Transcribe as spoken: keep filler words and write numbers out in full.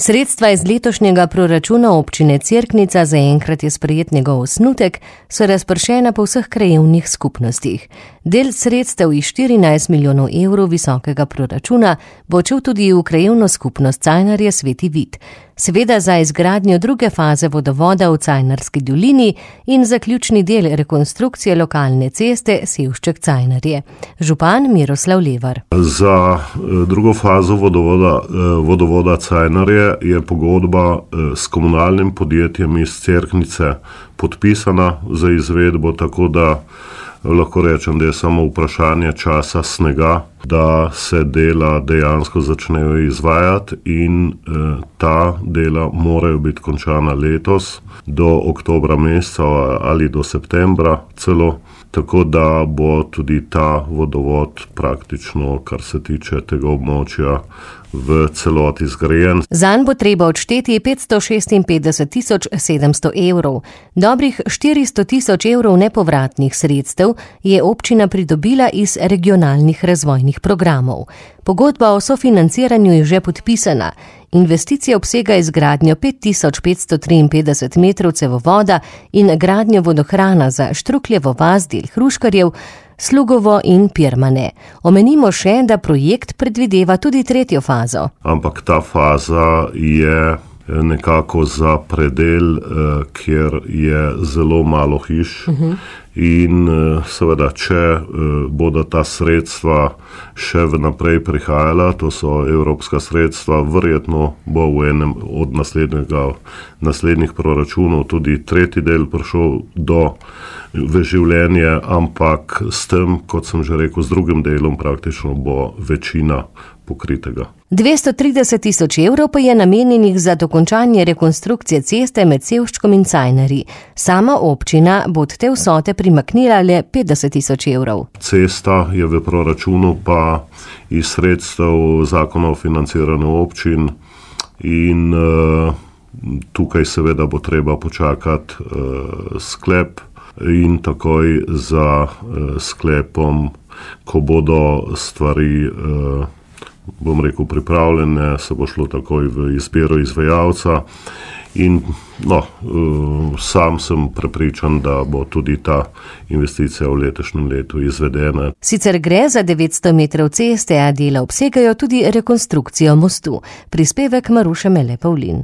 Sredstva iz letošnjega proračuna občine Cerknica, zaenkrat je sprejet njegov osnutek, so razpršena po vseh krajevnih skupnostih. Del sredstev iz štirinajst milijonov evrov visokega proračuna bo odšel tudi v krajevno skupnost Cajnarje Sveti Vid. Seveda za izgradnjo druge faze vodovoda v Cajnarski dolini in zaključni del rekonstrukcije lokalne ceste Sevšček-Cajnarje. Župan Miroslav Levar. Za drugo fazo vodovoda, vodovoda Cajnarje je pogodba s komunalnim podjetjem iz Cerknice podpisana za izvedbo, tako da lahko rečem, da je samo vprašanje časa snega, da se dela dejansko začnejo izvajati in eh, ta dela morajo biti končana letos do oktobra meseca ali do septembra celo, tako da bo tudi ta vodovod praktično, kar se tiče tega območja, v celoti zgrajen. Zanj bo treba odšteti petsto šestinpetdeset tisoč sedemsto evrov. Dobrih štiristo tisoč evrov nepovratnih sredstev je občina pridobila iz regionalnih razvojnih programov. Pogodba o sofinanciranju je že podpisana. Investicija obsega izgradnjo pet tisoč petsto triinpetdeset metrov cevovoda in gradnjo vodohrana za Štrukljevo vas, del Hruškarjev, Slugovo in Pirmane. Omenimo še, da projekt predvideva tudi tretjo fazo. Ampak ta faza je nekako za predel, kjer je zelo malo hiš. Uh-huh. In seveda, če bodo ta sredstva še vnaprej prihajala, to so evropska sredstva, verjetno bo v enem od naslednjih proračunov tudi tretji del prišel do v življenje, ampak s tem, kot sem že rekel, s drugim delom praktično bo večina pokritega. dvesto trideset tisoč evrov pa je namenjenih za dokončanje rekonstrukcije ceste med Sevščkom in Cajnarji. Sama občina bo od te vsote primaknila le petdeset tisoč evrov. Cesta je v proračunu pa iz sredstev zakona o financiranju občin in uh, tukaj seveda bo treba počakati uh, sklep in takoj za uh, sklepom, ko bodo stvari uh, bom rekel, pripravljene, se bo šlo takoj v izbiro izvajalca in no, sam sem prepričan, da bo tudi ta investicija v letošnjem letu izvedena. Sicer gre za devetsto metrov ceste, a dela obsegajo tudi rekonstrukcijo mostu. Prispevek Maruše Mele Pavlin.